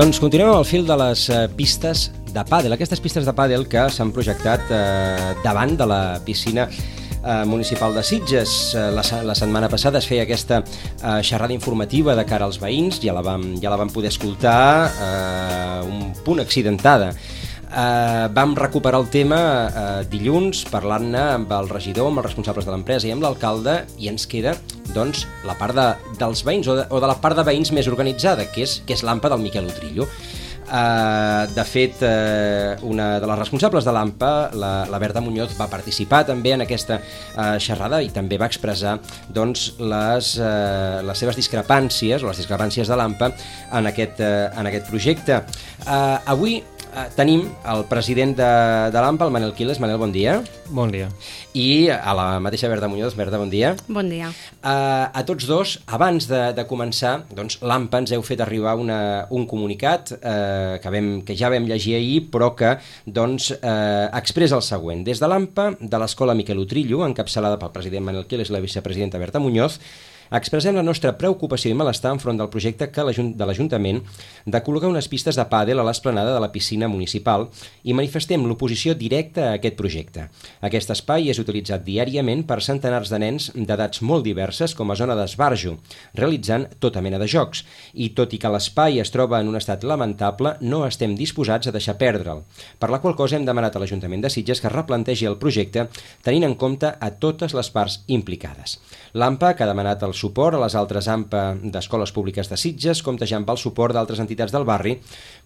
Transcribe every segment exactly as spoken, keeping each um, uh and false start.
Doncs continuem al fil de les eh, pistes de pàdel, aquestes pistes de pàdel que s'han projectat eh, davant de la piscina eh, municipal de Sitges. Eh, la, la setmana passada es feia aquesta eh, xerrada informativa de cara als veïns, ja la vam, ja la vam poder escoltar, eh, un punt accidentada. Uh, vam recuperar el tema uh, dilluns parlant-ne amb el regidor, amb els responsables de l'empresa i amb l'alcalde, i ens queda doncs, la part de, dels veïns o de, o de la part de veïns més organitzada, que és, que és l'AMPA del Miquel Utrillo. Uh, de fet, uh, una de les responsables de l'AMPA, la, la Berta Muñoz, va participar també en aquesta uh, xerrada i també va expressar doncs, les, uh, les seves discrepàncies o les discrepàncies de l'AMPA en, aquest, uh, en aquest projecte. Uh, avui Uh, tenim el president de, de l'AMPA, el Manel Quiles. Manel, bon dia. Bon dia. I a la mateixa Berta Muñoz. Berta, bon dia. Bon dia. Uh, a tots dos, abans de, de començar, doncs, l'AMPA ens heu fet arribar una, un comunicat uh, que, vam, que ja vam llegir ahir, però que doncs, uh, expressa el següent. Des de l'AMPA, de l'Escola Miquel Utrillo, encapçalada pel president Manel Quiles i la vicepresidenta Berta Muñoz, expressem la nostra preocupació i malestar enfront del projecte que de l'Ajuntament de col·locar unes pistes de pàdel a l'esplanada de la piscina municipal i manifestem l'oposició directa a aquest projecte. Aquest espai és utilitzat diàriament per centenars de nens d'edats molt diverses com a zona d'esbarjo, realitzant tota mena de jocs, i tot i que l'espai es troba en un estat lamentable, no estem disposats a deixar perdre'l, per la qual cosa hem demanat a l'Ajuntament de Sitges que replantegi el projecte tenint en compte a totes les parts implicades. L'AMPA, que ha demanat el suport a les altres AMPA d'escoles públiques de Sitges, compteja amb el suport d'altres entitats del barri,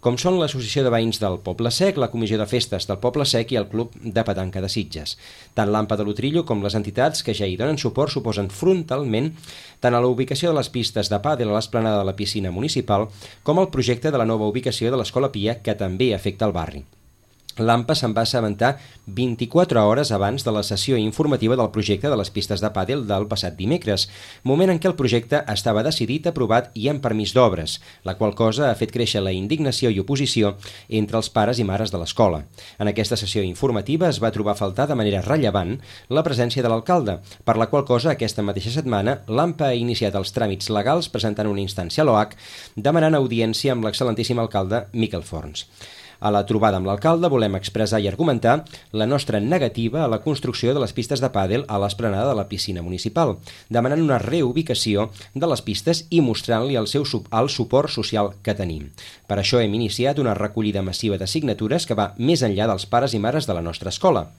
com són l'Associació de Veïns del Poble Sec, la Comissió de Festes del Poble Sec i el Club de Petanca de Sitges. Tant l'AMPA de l'Utrillo com les entitats que ja hi donen suport suposen frontalment tant a la ubicació de les pistes de pàdel a l'esplanada de la piscina municipal com al projecte de la nova ubicació de l'Escola Pia, que també afecta el barri. L'AMPA se'n va assabentar vint-i-quatre hores abans de la sessió informativa del projecte de les pistes de pàdel del passat dimecres, moment en què el projecte estava decidit, aprovat i amb permís d'obres, la qual cosa ha fet créixer la indignació i oposició entre els pares i mares de l'escola. En aquesta sessió informativa es va trobar a faltar de manera rellevant la presència de l'alcalde, per la qual cosa aquesta mateixa setmana l'AMPA ha iniciat els tràmits legals presentant una instància a l'O H demanant audiència amb l'excel·lentíssim alcalde Miquel Forns. A la trobada amb l'alcalde volem expressar i argumentar la nostra negativa a la construcció de les pistes de pàdel a l'esplanada de la piscina municipal, demanant una reubicació de les pistes i mostrant-li el seu el suport social que tenim. Per això hem iniciat una recollida massiva de signatures que va més enllà dels pares i mares de la nostra escola.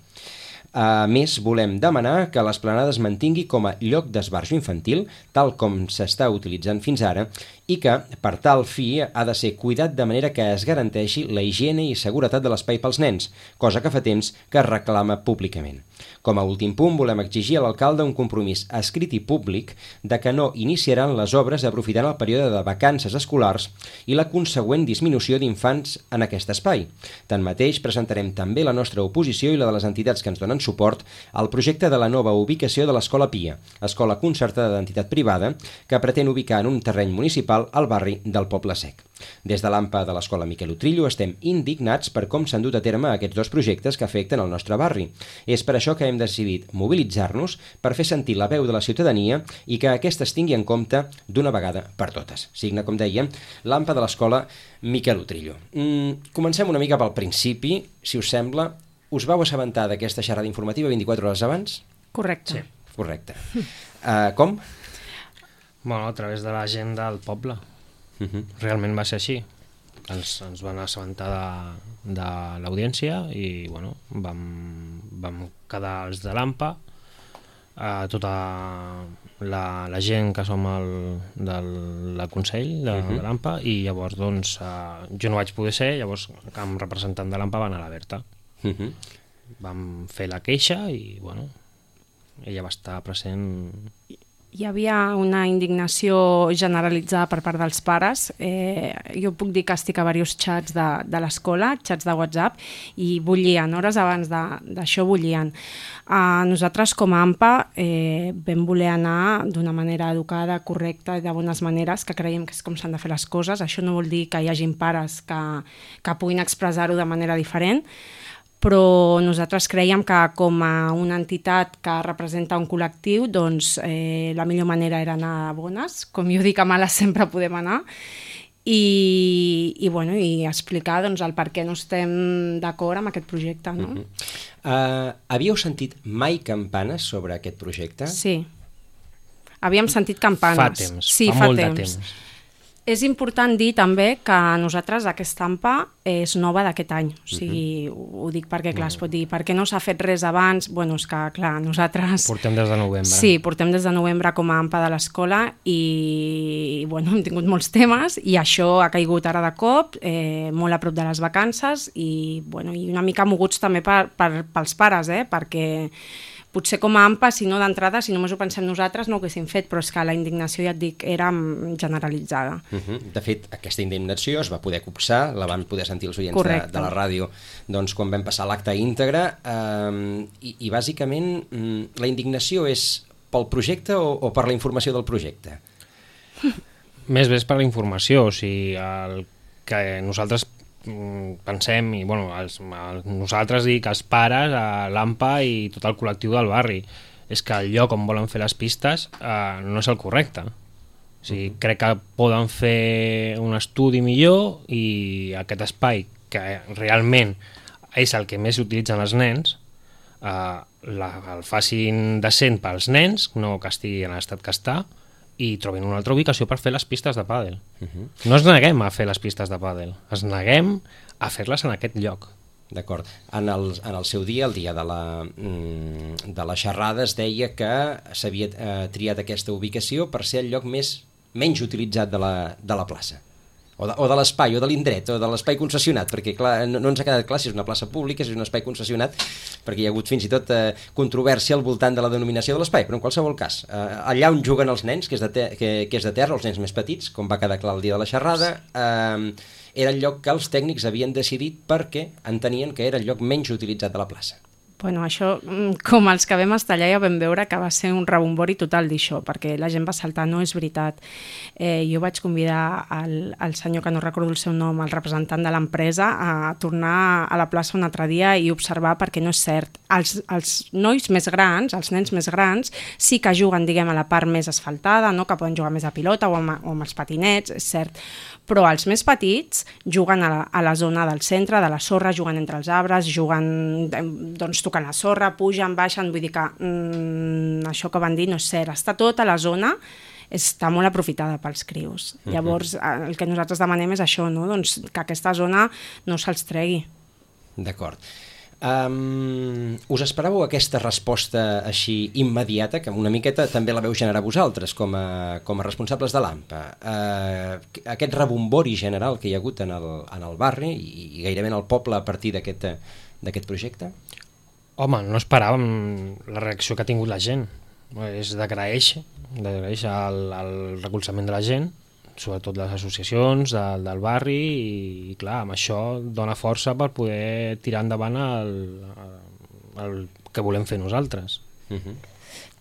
A més, volem demanar que l'esplanada es mantingui com a lloc d'esbarjo infantil, tal com s'està utilitzant fins ara, i que, per tal fi, ha de ser cuidat de manera que es garanteixi la higiene i seguretat de l'espai pels nens, cosa que fa temps que es reclama públicament. Com a últim punt, volem exigir a l'alcalde un compromís escrit i públic de que no iniciaran les obres aprofitant el període de vacances escolars i la consegüent disminució d'infants en aquest espai. Tanmateix, presentarem també la nostra oposició i la de les entitats que ens donen suport al projecte de la nova ubicació de l'Escola Pia, escola concertada d'entitat privada que pretén ubicar en un terreny municipal al barri del Poble Sec. Des de l'AMPA de l'Escola Miquel Utrillo estem indignats per com s'han dut a terme aquests dos projectes que afecten el nostre barri. És per això que hem decidit mobilitzar-nos per fer sentir la veu de la ciutadania i que aquesta es tingui en compte d'una vegada per totes. Signa, com dèiem, l'AMPA de l'Escola Miquel Utrillo. Mm, comencem una mica pel principi, si us sembla. Us vau assabentar d'aquesta xerrada informativa vint-i-quatre hores abans? Correcte. Sí. Correcte. Uh, com? Bueno, a través de la gent del poble. Uh -huh. Realment va ser així. Ens, ens van assabentar de, de l'audiència i bueno, vam, vam quedar els de l'AMPA, eh, tota la, la gent que som el, del, del Consell de, uh -huh. de l'AMPA, i llavors doncs, eh, jo no vaig poder ser, llavors com representant de l'AMPA va anar a la Berta. Uh -huh. Vam fer la queixa i bueno, ella va estar present. Hi havia una indignació generalitzada per part dels pares. Eh, jo puc dir que estic a diversos xats de, de l'escola, xats de WhatsApp, i bullien, hores abans d'això bullien. Uh, nosaltres com a AMPA eh, vam voler anar d'una manera educada, correcta i de bones maneres, que creiem que és com s'han de fer les coses. Això no vol dir que hi hagin pares que, que puguin expressar-ho de manera diferent, però nosaltres creiem que com a una entitat que representa un col·lectiu, doncs eh, la millor manera era anar a bones, com jo dic, a males sempre podem anar, i, i, bueno, i explicar doncs, el per què no estem d'acord amb aquest projecte. No? Uh-huh. uh, havíeu sentit mai campanes sobre aquest projecte? Sí. Havíem sentit campanes. Fa temps, sí, fa, fa molt temps. de temps. És important dir també que nosaltres aquesta AMPA és nova d'aquest any, o sigui, uh-huh. ho dic perquè, clar, es pot dir, per què no s'ha fet res abans? Bueno, és que, clar, nosaltres... Portem des de novembre. Sí, portem des de novembre com a AMPA de l'escola i, bueno, hem tingut molts temes i això ha caigut ara de cop, eh, molt a prop de les vacances i, bueno, i una mica moguts també per, per, pels pares, eh, perquè potser com a AMPA, si no d'entrada, si només ho pensem nosaltres, no ho haguéssim fet, però és que la indignació, ja et dic, era generalitzada. Uh-huh. De fet, aquesta indignació es va poder copsar, la van poder sentir els oients de, de la ràdio doncs, quan vam passar l'acte íntegre, eh, i, i bàsicament la indignació és pel projecte o, o per la informació del projecte? Més bé és per la informació, o sigui, el que nosaltres pensem, i bueno, els, els, nosaltres dic els pares, l'AMPA i tot el col·lectiu del barri, és que el lloc on volen fer les pistes eh, no és el correcte. O sigui, uh-huh. crec que poden fer un estudi millor i aquest espai, que realment és el que més utilitzen els nens, eh, la, el facin decent pels nens, no que estigui en l'estat que està, i trobin una altra ubicació per fer les pistes de pàdel. Uh-huh. No ens neguem a fer les pistes de pàdel, ens neguem a fer-les en aquest lloc. D'acord. En el, en el seu dia, el dia de la, de la xerrada, es deia que s'havia eh, triat aquesta ubicació per ser el lloc més menys utilitzat de la, de la plaça. O de, o de l'espai, o de l'indret, o de l'espai concessionat, perquè clar, no, no ens ha quedat clar si és una plaça pública, si és un espai concessionat, perquè hi ha hagut fins i tot eh, controvèrsia al voltant de la denominació de l'espai, però en qualsevol cas, eh, allà on juguen els nens, que és, de te que, que és de terra, els nens més petits, com va quedar clar el dia de la xerrada, eh, era el lloc que els tècnics havien decidit perquè entenien que era el lloc menys utilitzat de la plaça. Bueno, això, com els que vam estar allà ja vam veure que va ser un rebombori total d'això, perquè la gent va saltar, no és veritat. Eh, jo vaig convidar el, el senyor, que no recordo el seu nom, el representant de l'empresa, a tornar a la plaça un altre dia i observar, perquè no és cert. Els, els nois més grans, els nens més grans, sí que juguen, diguem, a la part més asfaltada, no? Que poden jugar més a pilota o amb, o amb els patinets, és cert, però els més petits juguen a la, a la zona del centre, de la sorra, juguen entre els arbres, juguen, doncs, tocant la sorra, pugen, baixen, vull dir que mm, això que van dir no és cert, està tota la zona, està molt aprofitada pels crios. Uh-huh. Llavors, el que nosaltres demanem és això, no? Doncs que aquesta zona no se'ls tregui. D'acord. Um, us esperàveu aquesta resposta així immediata, que una miqueta també la veu generar vosaltres com a, com a responsables de l'AMPA? Uh, aquest rebombori general que hi ha hagut en el, en el barri i, i gairebé en el poble a partir d'aquest d'aquest projecte? Home, no esperàvem la reacció que ha tingut la gent. És d'agraeix, d'agraeix el, el recolzament de la gent, sobretot les associacions del, del barri, i, i clar, amb això dona força per poder tirar endavant el, el que volem fer nosaltres. Uh-huh.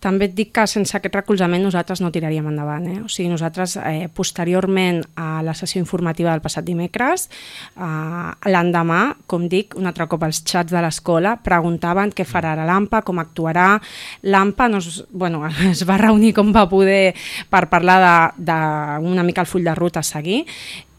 També et dic que sense aquest recolzament nosaltres no tiraríem endavant. Eh? O sigui, nosaltres, eh, posteriorment a la sessió informativa del passat dimecres, eh, l'endemà, com dic, un altre cop els xats de l'escola preguntaven què farà ara l'AMPA, com actuarà. L'AMPA no es, bueno, es va reunir com va poder per parlar de, de una mica el full de ruta a seguir,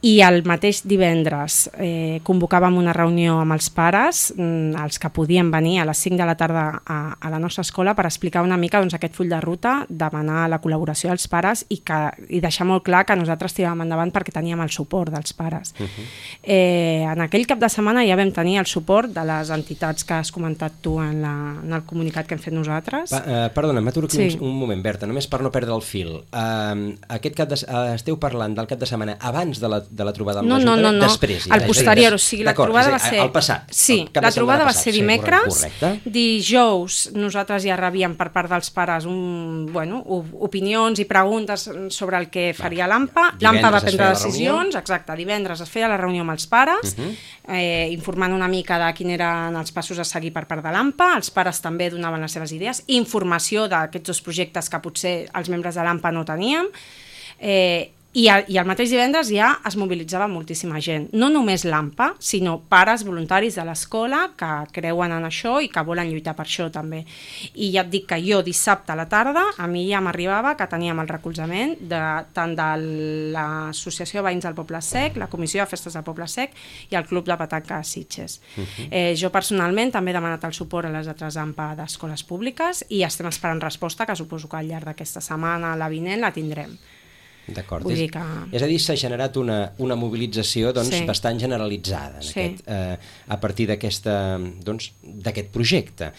i el mateix divendres eh, convocàvem una reunió amb els pares, els que podien venir a les cinc de la tarda a, a la nostra escola, per explicar una mica doncs, aquest full de ruta, demanar la col·laboració dels pares i, que, i deixar molt clar que nosaltres tiràvem endavant perquè teníem el suport dels pares. Uh-huh. eh, en aquell cap de setmana ja vam tenir el suport de les entitats que has comentat tu en, la, en el comunicat que hem fet nosaltres. Pa, uh, perdona, m'aturo aquí sí. un, un moment, Berta, només per no perdre el fil. Uh, aquest cap de, uh, esteu parlant del cap de setmana abans de la de la trobada amb no, l'Ajuntament? No, no, no, després, al posterior, o sigui, la trobada va ser... El passat. Sí, la trobada va ser dimecres, sí, dijous nosaltres ja rebíem per part dels pares un, bueno, opinions i preguntes sobre el que faria l'AMPA. L'AMPA va prendre decisions, exacte, divendres es feia la reunió amb els pares, uh-huh. eh, informant una mica de quins eren els passos a seguir per part de l'AMPA, els pares també donaven les seves idees, informació d'aquests dos projectes que potser els membres de l'AMPA no teníem, eh, I, el, I el mateix divendres ja es mobilitzava moltíssima gent, no només l'AMPA, sinó pares voluntaris de l'escola que creuen en això i que volen lluitar per això també. I ja et dic que jo dissabte a la tarda a mi ja m'arribava que teníem el recolzament de, tant de l'Associació de Veïns del Poble Sec, la Comissió de Festes del Poble Sec i el Club de Petanca Sitges. Uh-huh. eh, jo personalment també he demanat el suport a les altres AMPA d'escoles públiques i estem esperant resposta, que suposo que al llarg d'aquesta setmana, la vinent, la tindrem. D'acord, és, que... és a dir, s'ha generat una, una mobilització doncs, sí. bastant generalitzada en sí. aquest, eh, a partir d'aquest doncs, projecte.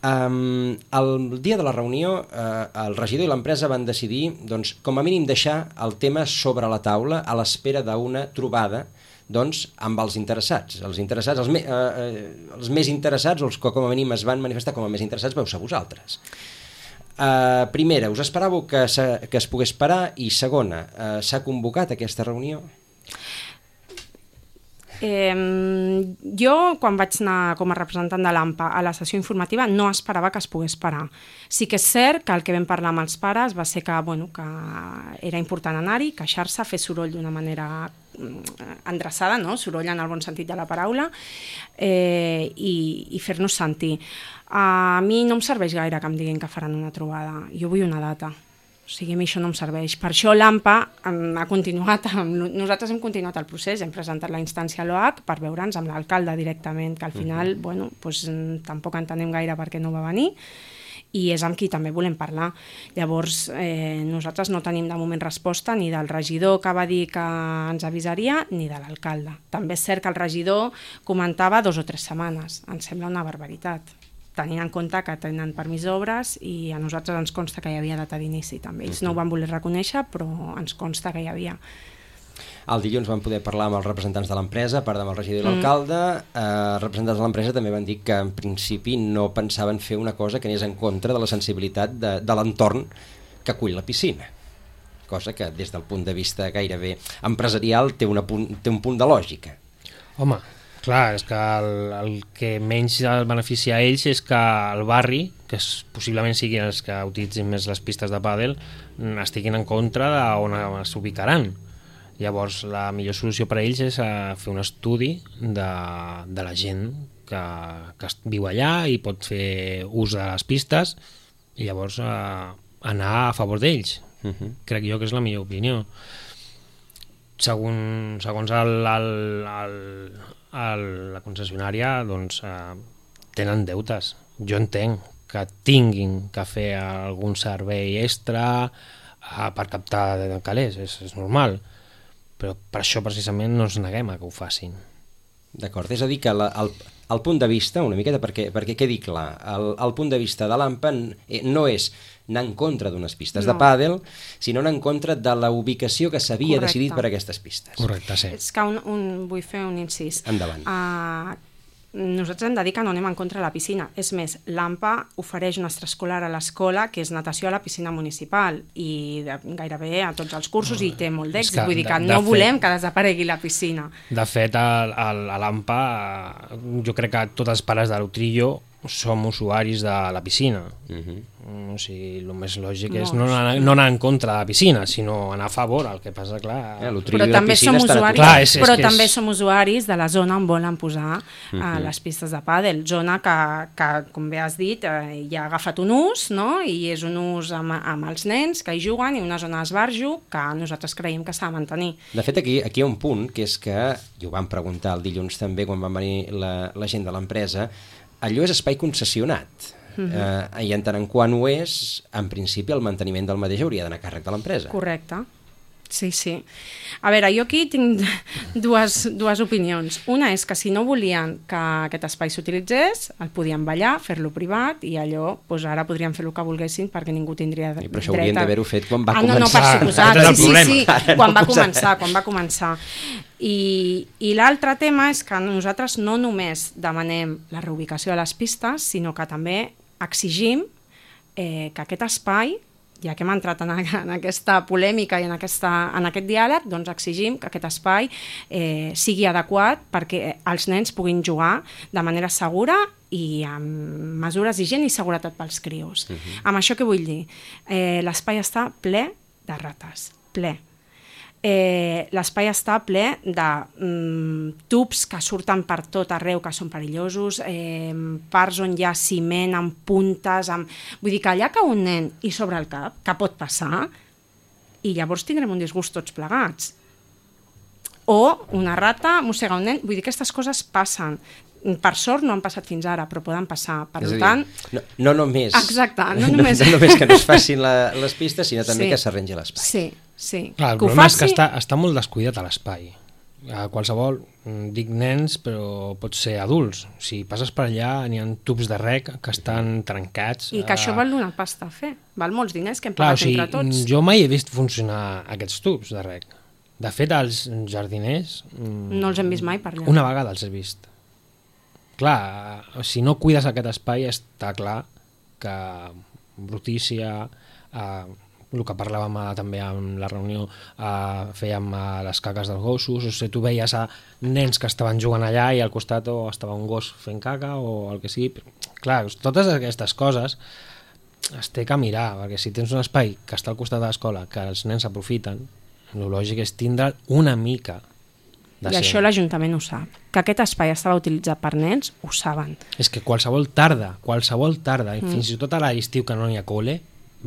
Um, el dia de la reunió, eh, el regidor i l'empresa van decidir, doncs, com a mínim, deixar el tema sobre la taula a l'espera d'una trobada doncs, amb els interessats. Els interessats, els, me, eh, els més interessats, o els que com a mínim es van manifestar com a més interessats, veu ser vosaltres. Uh, primera, us esperàveu que, que es pogués parar? I segona, uh, s'ha convocat aquesta reunió? Eh, jo, quan vaig anar com a representant de l'AMPA a la sessió informativa, no esperava que es pogués parar. Sí que és cert que el que vam parlar amb els pares va ser que, bueno, que era important anar-hi, queixar-se, fer soroll d'una manera endreçada, no? Soroll en el bon sentit de la paraula, eh, i, i fer-nos sentir. A mi no em serveix gaire que em diguin que faran una trobada. Jo vull una data. O sigui, a mi això no em serveix. Per això l'AMPA ha continuat, amb, nosaltres hem continuat el procés, hem presentat la instància a l'O H per veure'ns amb l'alcalde directament, que al final, uh-huh. bueno, doncs, tampoc entenem gaire per què no va venir, i és amb qui també volem parlar. Llavors, eh, nosaltres no tenim de moment resposta ni del regidor que va dir que ens avisaria, ni de l'alcalde. També és cert que el regidor comentava dos o tres setmanes. Em sembla una barbaritat, tenint en compte que tenen permís d'obres i a nosaltres ens consta que hi havia data d'inici també. Ells no ho van voler reconèixer, però ens consta que hi havia. El dilluns vam poder parlar amb els representants de l'empresa, a part amb el regidor i l'alcalde. Mm. Eh, representants de l'empresa també van dir que en principi no pensaven fer una cosa que anés en contra de la sensibilitat de, de l'entorn que acull la piscina. Cosa que des del punt de vista gairebé empresarial té, una punt, té un punt de lògica. Home, clar, és que el, el que menys el beneficia a ells és que el barri, que es, possiblement siguin els que utilitzin més les pistes de pàdel, estiguin en contra d'on s'ubicaran. Llavors, la millor solució per a ells és uh, fer un estudi de, de la gent que, que viu allà i pot fer ús de les pistes i llavors uh, anar a favor d'ells. Uh-huh. Crec jo que és la millor opinió. Segon, segons el, el, el, el, la concessionària, doncs, eh, tenen deutes. Jo entenc que tinguin que fer algun servei extra eh, per captar calés, és, és normal, però per això precisament no ens neguem a que ho facin. D'acord, és a dir que la, el, el punt de vista, una miqueta perquè, perquè quedi clar, el, el punt de vista de l'AMPA no és anar en contra d'unes pistes no. de pàdel, sinó anar en contra de la ubicació que s'havia decidit per a aquestes pistes. Correcte, sí. És que un, un, vull fer un incís. Endavant. Uh, nosaltres hem de dir que no anem en contra de la piscina. És més, l'AMPA ofereix una extraescolar a l'escola que és natació a la piscina municipal i de, gairebé a tots els cursos oh, i té molt d'èxit. Vull dir que de, no de volem fet, que desaparegui la piscina. De fet, a, a, a l'AMPA jo crec que tots els pares de l'Utrillo som usuaris de la piscina. Uh-huh. O sigui, el més lògic no, és no anar, no anar en contra de la piscina, sinó anar a favor. El que passa, clar... Eh, però també, som usuaris, clar, és, és però també és... som usuaris de la zona on volen posar uh-huh. uh, les pistes de pàdel. Zona que, que, com bé has dit, uh, ja ha agafat un ús, no? I és un ús amb, amb els nens que hi juguen i una zona d'esbarjo que nosaltres creiem que s'ha de mantenir. De fet, aquí, aquí hi ha un punt, que és que, i ho vam preguntar el dilluns també quan van venir la, la gent de l'empresa, allò és espai concessionat. Uh-huh. eh, I en tant en quant ho és, en principi el manteniment del mateix hauria d'anar a càrrec de l'empresa. Correcte. Sí, sí. A veure, jo aquí tinc dues, dues opinions. Una és que si no volien que aquest espai s'utilitzés, el podien ballar, fer-lo privat, i allò, doncs ara podrien fer el que volguessin perquè ningú tindria dret. I però això haurien d'haver-ho fet quan va ah, començar. No, no, per suposat. Sí, sí, sí, Ara quan no va començar, quan va començar. I, i l'altre tema és que nosaltres no només demanem la reubicació de les pistes, sinó que també exigim eh, que aquest espai, ja que hem entrat en, en aquesta polèmica i en, aquesta, en aquest diàleg, doncs exigim que aquest espai eh, sigui adequat perquè els nens puguin jugar de manera segura i amb mesures d'higiene i seguretat pels crios. Uh-huh. Amb això què vull dir? Eh, l'espai està ple de rates, ple. Eh, l'espai està ple de mm, tubs que surten per tot arreu, que són perillosos, eh, parts on hi ha ciment amb puntes, amb... vull dir que allà cau un nen i sobre el cap, que pot passar, i llavors tindrem un disgust tots plegats. O una rata mossega un nen, vull dir que aquestes coses passen. Per sort no han passat fins ara, però poden passar. Per és tant... Dir, no, no només... Exacte, no només... No, no només que no es facin la, les pistes, sinó també sí. que s'arrengi l'espai. Sí, sí. Clar, el que problema faci... és que està, està molt descuidat a l'espai. A qualsevol, dic nens, però pot ser adults. Si passes per allà, n'hi ha tubs de rec que estan trencats. I que això eh... val una pasta a fer. Val molts diners que hem Clar, pagat o sigui, entre tots. Jo mai he vist funcionar aquests tubs de rec. De fet, els jardiners... No els hem vist mai per allà. Una vegada els he vist. Clar, si no cuides aquest espai, està clar que brutícia, eh, el que parlàvem eh, també en la reunió, eh, fèiem eh, les caques dels gossos, o sigui, tu veies a nens que estaven jugant allà i al costat o estava un gos fent caca o el que sigui. Clar, totes aquestes coses es té que mirar, perquè si tens un espai que està al costat de l'escola, que els nens aprofiten, el lògic és tindre una mica de I això l'Ajuntament ho sap. Que aquest espai estava utilitzat per nens, ho saben. És que qualsevol tarda, qualsevol tarda, mm. fins i tot a l'estiu que no hi ha col·le,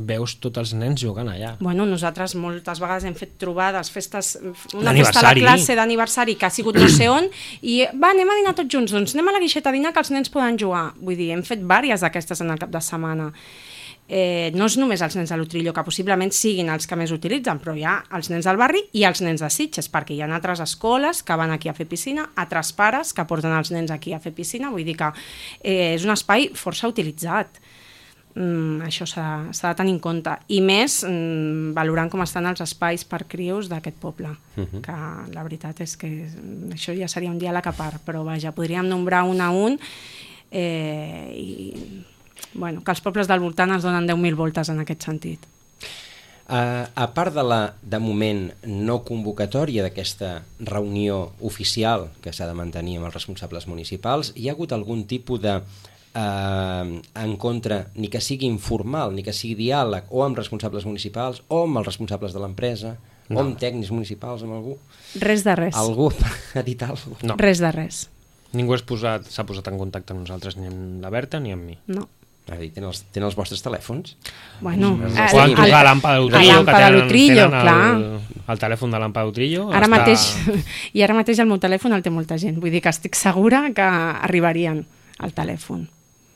veus tots els nens jugant allà. Bueno, nosaltres moltes vegades hem fet trobades, festes, una festa a la classe d'aniversari que ha sigut no sé on, i va, anem a dinar tots junts, doncs anem a la guixeta a dinar que els nens poden jugar. Vull dir, hem fet vàries d'aquestes en el cap de setmana. Eh, no és només els nens de l'Utrillo, que possiblement siguin els que més utilitzen, però hi ha els nens del barri i els nens de Sitges, perquè hi ha altres escoles que van aquí a fer piscina, altres pares que porten els nens aquí a fer piscina, vull dir que eh, és un espai força utilitzat. Mm, això s'ha de tenir en compte. I més mm, valorant com estan els espais per crios d'aquest poble, uh-huh. que la veritat és que això ja seria un diàleg a part, però vaja, podríem nombrar un a un eh, i... Bueno, que els pobles del voltant es donen deu mil voltes en aquest sentit. Uh, a part de la, de moment, no convocatòria d'aquesta reunió oficial que s'ha de mantenir amb els responsables municipals, hi ha hagut algun tipus de uh, encontre, ni que sigui informal, ni que sigui diàleg, o amb responsables municipals, o amb els responsables de l'empresa, no. o amb tècnics municipals, amb algú? Res de res. Algú ha dit alguna cosa? No. Res de res. Ningú s'ha posat, posat en contacte amb nosaltres, ni amb la Berta ni amb mi. No. Tenen els, tenen els vostres telèfons? Bueno, el, poden trucar a l'Ampa de l'Utrillo, que tenen, tenen el, el telèfon de l'Ampa de l'Utrillo. Ara està... mateix, i ara mateix el meu telèfon el té molta gent, vull dir que estic segura que arribarien al telèfon.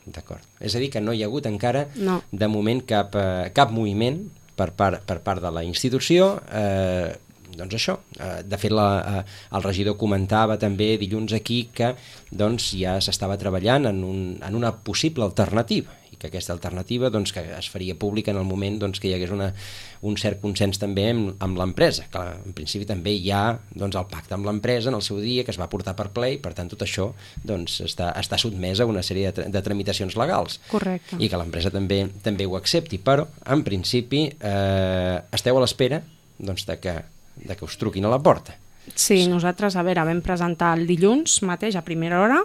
D'acord. És a dir, que no hi ha hagut encara, no. de moment, cap, eh, cap moviment per part, per part de la institució. Eh, doncs això, eh, de fet la, eh, el regidor comentava també dilluns aquí que doncs, ja s'estava treballant en, un, en una possible alternativa, i que aquesta alternativa doncs, que es faria pública en el moment doncs, que hi hagués una, un cert consens també amb, amb l'empresa, que en principi també hi ha doncs, el pacte amb l'empresa en el seu dia, que es va portar per ple, i per tant tot això doncs, està, està sotmès a una sèrie de, de tramitacions legals. Correcte. I que l'empresa també, també ho accepti, però en principi eh, esteu a l'espera doncs, de que de que us truquin a la porta. Sí, nosaltres, a veure, vam presentar el dilluns mateix, a primera hora,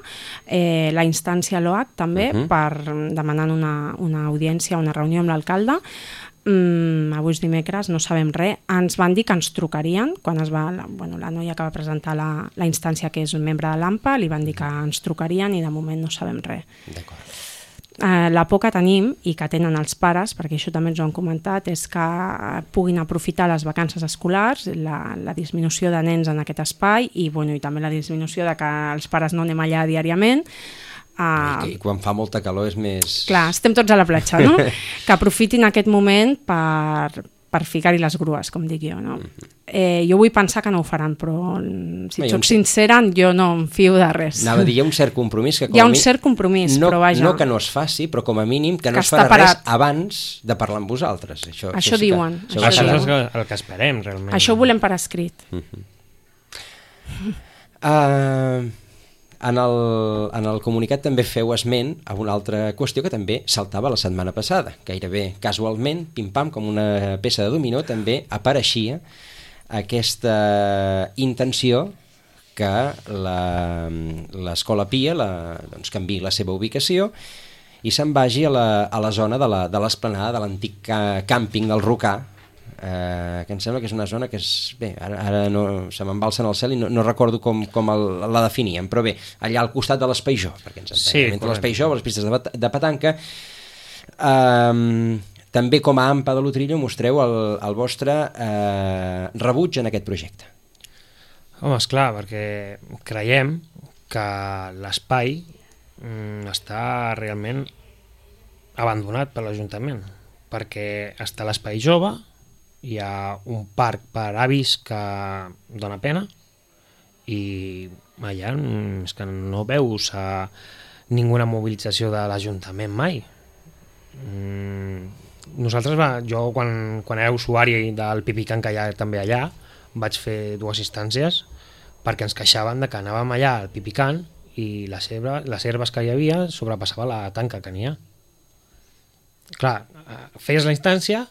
eh, la instància a l'O H també, uh-huh. per demanant una, una audiència, una reunió amb l'alcalde. Mm, avui és dimecres, no sabem res. Ens van dir que ens trucarien, quan es va, la, bueno, la noia que va presentar la, la instància, que és un membre de l'AMPA, li van dir que ens trucarien i de moment no sabem res. D'acord. Eh, la por que tenim i que tenen els pares, perquè això també ens ho han comentat, és que puguin aprofitar les vacances escolars, la, la disminució de nens en aquest espai i, bueno, i també la disminució de que els pares no anem allà diàriament. Uh, I, I quan fa molta calor és més... Clar, estem tots a la platja, no? Que aprofitin aquest moment per, per ficar-hi les grues, com dic jo, no? Eh, jo vull pensar que no ho faran, però si Bé, soc un... sincera, jo no em fio de res. Anava a dir, hi ha un cert compromís que com hi ha un mi... cert compromís, no, però vaja... No que no es faci, però com a mínim que no que es farà parat. res abans de parlar amb vosaltres. Això, això, això sí diuen. Que, això, això això és el, el que esperem, realment. Això ho volem per escrit. Uh-huh. uh, en, el, en el comunicat també feu esment a una altra qüestió que també saltava la setmana passada. Gairebé casualment, pim-pam, com una peça de dominó, també apareixia aquesta intenció que l'Escola Pia la, doncs, canviï la seva ubicació i se'n vagi a la, a la zona de l'esplanada de l'antic càmping del Rocà, eh, que em sembla que és una zona que és... Bé, ara, ara no, se m'embalsa en el cel i no, no recordo com, com el, la definíem, però bé, allà al costat de l'Espai Jove, perquè ens entenem, sí, entre l'Espai Jove, les pistes de, de petanca. Eh, també com a AMPA de l'Utrillo mostreu el, el vostre eh, rebuig en aquest projecte. Home, esclar, perquè creiem que l'espai mm, està realment abandonat per l'Ajuntament, perquè està l'Espai Jove, hi ha un parc per avis que dona pena i allà és que no veus a ninguna mobilització de l'Ajuntament mai. Nosaltres, va, jo quan, quan era usuari del Pipicant, que hi ha també allà, vaig fer dues instàncies perquè ens queixaven de que anàvem allà al Pipicant i les, herba, les herbes que hi havia sobrepassava la tanca que n'hi ha. Clar, feies la instància,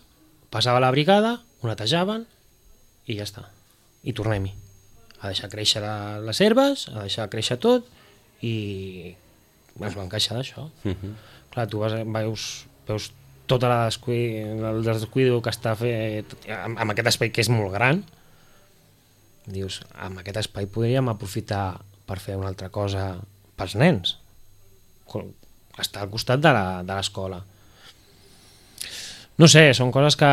passava la brigada, ho netejaven i ja està. I tornem-hi. A deixar créixer les herbes, a deixar créixer tot i ens vam queixar d'això. Uh-huh. Clar, tu vas, veus, veus tota la descuido, el descuido que està fet amb, amb aquest espai que és molt gran. Dius, amb aquest espai podríem aprofitar per fer una altra cosa pels nens. Està al costat de l'escola. No sé, són coses que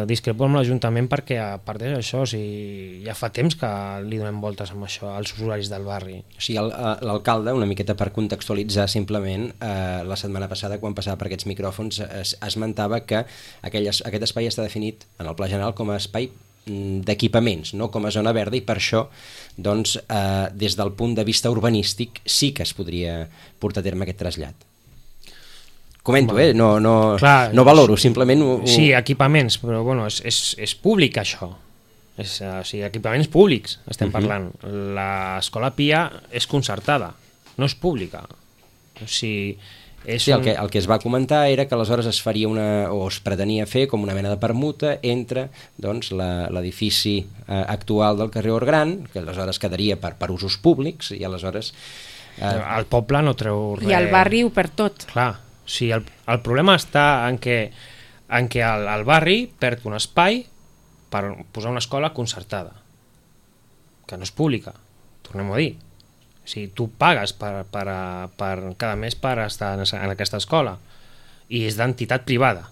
discrepo amb l'Ajuntament perquè a part d'això, o sigui, ja fa temps que li donem voltes amb això als usuaris del barri. O sigui, l'alcalde, una miqueta per contextualitzar simplement, eh, la setmana passada quan passava per aquests micròfons es, esmentava que aquell, aquest espai està definit en el Pla General com a espai d'equipaments, no com a zona verda, i per això doncs, eh, des del punt de vista urbanístic sí que es podria portar a terme aquest trasllat. Comento, eh? No, no, Clar, no valoro, simplement... Ho, ho... Sí, equipaments, però bueno, és, és, és públic això. És, o sigui, equipaments públics estem uh-huh. parlant. L'escola Pia és concertada, no és pública. O sigui, és sí, un... el, que, el que es va comentar era que aleshores es faria una, o es pretenia fer com una mena de permuta entre doncs, l'edifici eh, actual del carrer Orgran, que aleshores quedaria per, per usos públics, i aleshores... Eh... El poble no treu res... I el barri ho per tot. Clar. Sí, el, el problema està en què, en què el, el barri perd un espai per posar una escola concertada, que no és pública, tornem a dir. O sigui, tu pagues per, per, per, cada mes per estar en, en aquesta escola i és d'entitat privada.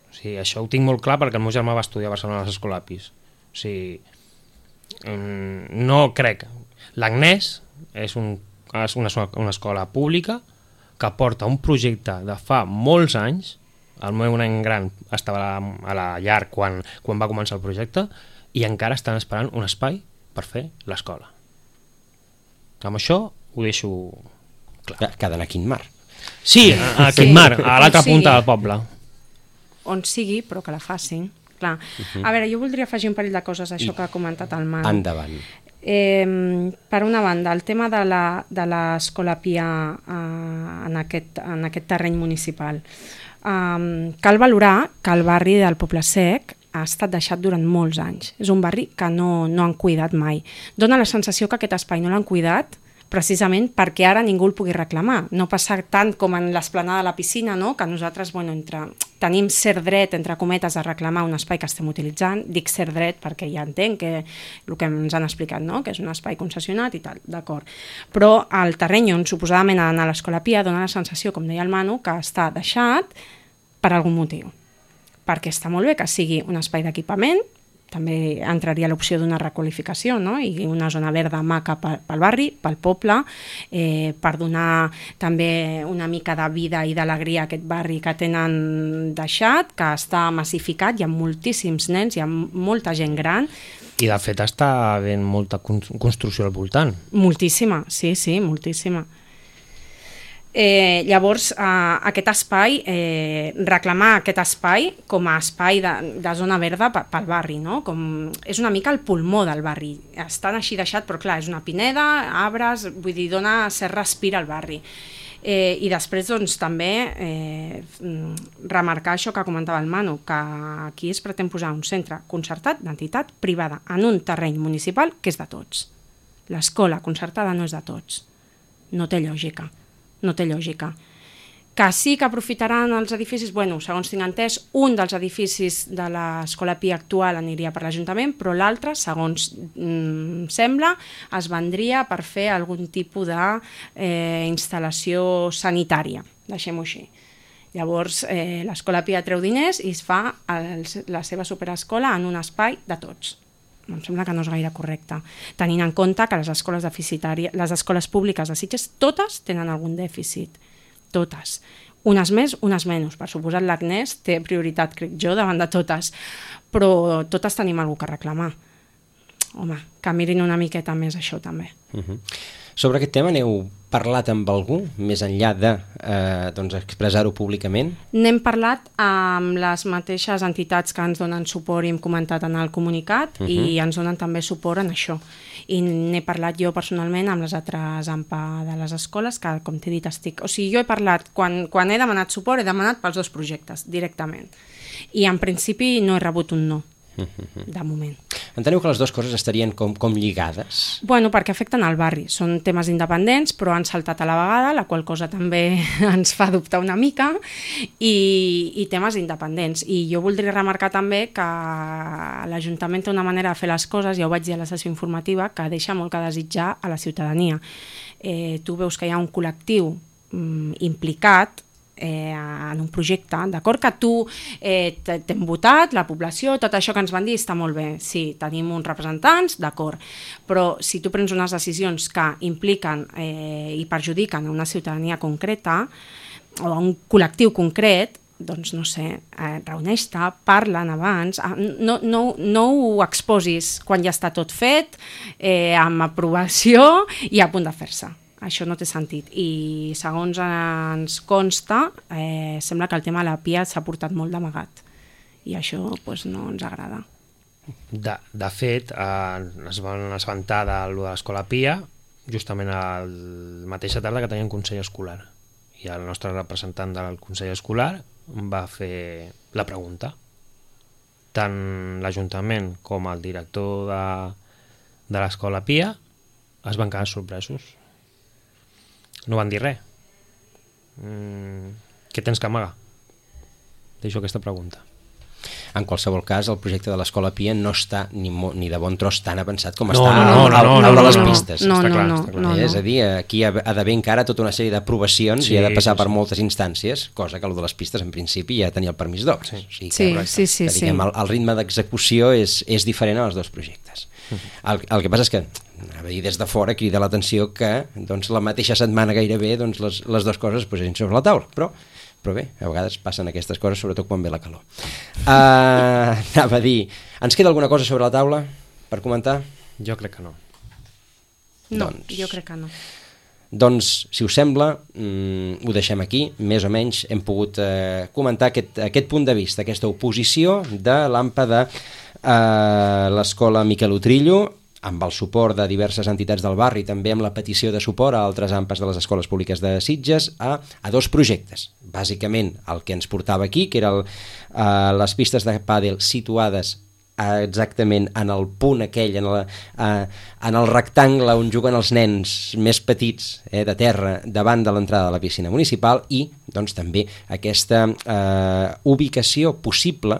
O sigui, això ho tinc molt clar perquè el meu germà va estudiar a Barcelona a les Escolapis. O sigui, no crec. L'Agnès és, un, és una, una escola pública que porta un projecte de fa molts anys. El meu nen gran estava a la, a la llar quan, quan va començar el projecte i encara estan esperant un espai per fer l'escola. Amb això ho deixo clar. Que ha d'anar a Quintmar. Sí, a, a Quintmar, a l'altra punta del poble. On sigui, però que la facin. Clar. Uh-huh. A veure, jo voldria afegir un parell de coses a això I... que ha comentat el Manu. Endavant. Eh, per una banda, el tema de l'Escola Pia eh, en, aquest, en aquest terreny municipal. Eh, cal valorar que el barri del Poble Sec ha estat deixat durant molts anys. És un barri que no, no han cuidat mai. Dóna la sensació que aquest espai no l'han cuidat precisament perquè ara ningú el pugui reclamar. No passa tant com en l'esplanada de la piscina, no? Que nosaltres bueno, entre, tenim cert dret, entre cometes, a reclamar un espai que estem utilitzant. Dic cert dret perquè ja entenc que el que ens han explicat, no? Que és un espai concessionat i tal, d'acord. Però el terreny on suposadament ha d'anar l'Escola Pia dona la sensació, com deia el Manu, que està deixat per algun motiu. Perquè està molt bé que sigui un espai d'equipament, també entraria l'opció d'una requalificació, no? I una zona verda maca pel barri, pel poble, eh, per donar també una mica de vida i d'alegria a aquest barri que tenen deixat, que està massificat, hi ha moltíssims nens, hi ha molta gent gran. I de fet està havent molta construcció al voltant. Moltíssima, sí, sí, moltíssima. Eh, llavors, eh, aquest espai, eh, reclamar aquest espai com a espai de, de zona verda pel barri, no? Com, és una mica el pulmó del barri. Estan així deixat, però clar, és una pineda, arbres, vull dir, dona cert respir al barri. Eh, I després, doncs, també eh, remarcar això que comentava el Manu, que aquí es pretén posar un centre concertat d'entitat privada en un terreny municipal que és de tots. L'escola concertada no és de tots. No té lògica. No té lògica. Que sí que aprofitaran els edificis, bueno, segons tinc entès, un dels edificis de l'Escola Pia actual aniria per l'Ajuntament, però l'altre, segons mm, sembla, es vendria per fer algun tipus d'instal·lació eh, sanitària, deixem-ho així. Llavors, eh, l'Escola Pia treu diners i es fa el, la seva superescola en un espai de tots. Em sembla que no és gaire correcte, tenint en compte que les escoles deficitàries, les escoles públiques de Sitges, totes tenen algun dèficit. Totes. Unes més, unes menys. Per suposat, l'Agnès té prioritat, crec jo, davant de totes. Però totes tenim alguna cosa a reclamar. Home, que mirin una miqueta més això, també. Uh-huh. Sobre aquest tema n'heu parlat amb algú, més enllà de eh, doncs expressar-ho públicament? N'hem parlat amb les mateixes entitats que ens donen suport i hem comentat en el comunicat, uh-huh. i ens donen també suport en això. I n'he parlat jo personalment amb les altres A M P A de les escoles, que com t'he dit estic... O sigui, jo he parlat, quan, quan he demanat suport, he demanat pels dos projectes, directament. I en principi no he rebut un no, de moment. Enteneu que les dues coses estarien com, com lligades? Bueno, perquè afecten al barri. Són temes independents, però han saltat a la vegada, la qual cosa també ens fa dubtar una mica, i, i temes independents. I jo voldria remarcar també que l'Ajuntament té una manera de fer les coses, ja ho vaig dir a la sessió informativa, que deixa molt que desitjar a la ciutadania. Eh, tu veus que hi ha un col·lectiu mm, implicat Eh, en un projecte, d'acord que tu eh, t'hem votat, la població, tot això que ens van dir està molt bé, sí, tenim uns representants, d'acord, però si tu prens unes decisions que impliquen eh, i perjudiquen a una ciutadania concreta o a un col·lectiu concret, doncs no sé, eh, reuneix-te, parlen abans, no, no, no ho exposis quan ja està tot fet, eh, amb aprovació i a punt de fer-se. Això no té sentit. I segons ens consta, eh, sembla que el tema de la Pia s'ha portat molt d'amagat. I això pues, no ens agrada. De, de fet, eh, es van assabentar de, de l'Escola Pia justament el mateixa tarda que teníem Consell Escolar. I el nostre representant del Consell Escolar va fer la pregunta. Tant l'Ajuntament com el director de, de l'Escola Pia es van quedar sorpresos. No van dir res. Mm, què tens que amagar? Deixo aquesta pregunta. En qualsevol cas, el projecte de l'Escola Pia no està ni, mo, ni de bon tros tan avançat com no, està no, no, al, al, no, al no, de les no, pistes. No, no, clar, no, clar. no, no. És a dir, aquí ha d'haver encara tota una sèrie d'aprovacions sí, i ha de passar sí, per sí. moltes instàncies, cosa que el de les pistes en principi ja tenia el permís d'obres. Sí, o sigui que, sí, sí, sí, que, diguem, sí. El, el ritme d'execució és, és diferent als dos projectes. El, el que passa és que a dir, des de fora crida l'atenció que doncs, la mateixa setmana gairebé doncs, les, les dues coses es posessin sobre la taula, però, però bé, a vegades passen aquestes coses, sobretot quan ve la calor. Uh, anava a dir, ens queda alguna cosa sobre la taula per comentar? Jo crec que no. No, doncs, jo crec que no. Doncs, si us sembla, mm, ho deixem aquí, més o menys hem pogut eh, comentar aquest, aquest punt de vista, aquesta oposició de l'A M P A de eh, l'Escola Miquel Utrillo, amb el suport de diverses entitats del barri, també amb la petició de suport a altres A M P As de les escoles públiques de Sitges, a, a dos projectes. Bàsicament, el que ens portava aquí, que eren eh, les pistes de pàdel situades exactament en el punt aquell, en, la, eh, en el rectangle on juguen els nens més petits eh, de terra davant de l'entrada de la piscina municipal i doncs, també aquesta eh, ubicació possible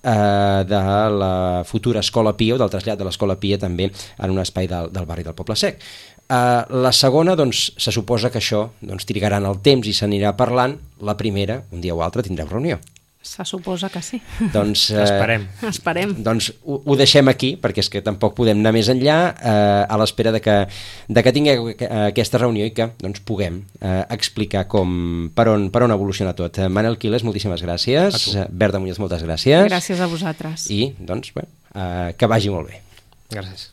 eh, de la futura Escola Pia o del trasllat de l'Escola Pia també en un espai del, del barri del Poble Sec. Eh, la segona, doncs, se suposa que això doncs, trigarà en el temps i s'anirà parlant. La primera, un dia o altre, tindreu reunió. Se suposa que sí. Doncs, eh, Esperem. Esperem. Doncs ho, ho deixem aquí, perquè és que tampoc podem anar més enllà, eh, a l'espera de que, de que tingueu aquesta reunió i que doncs, puguem eh, explicar com, per, on, per on evoluciona tot. Manel Quiles, moltíssimes gràcies. Berta Muñoz, moltes gràcies. Gràcies a vosaltres. I, doncs, bé, eh, que vagi molt bé. Gràcies.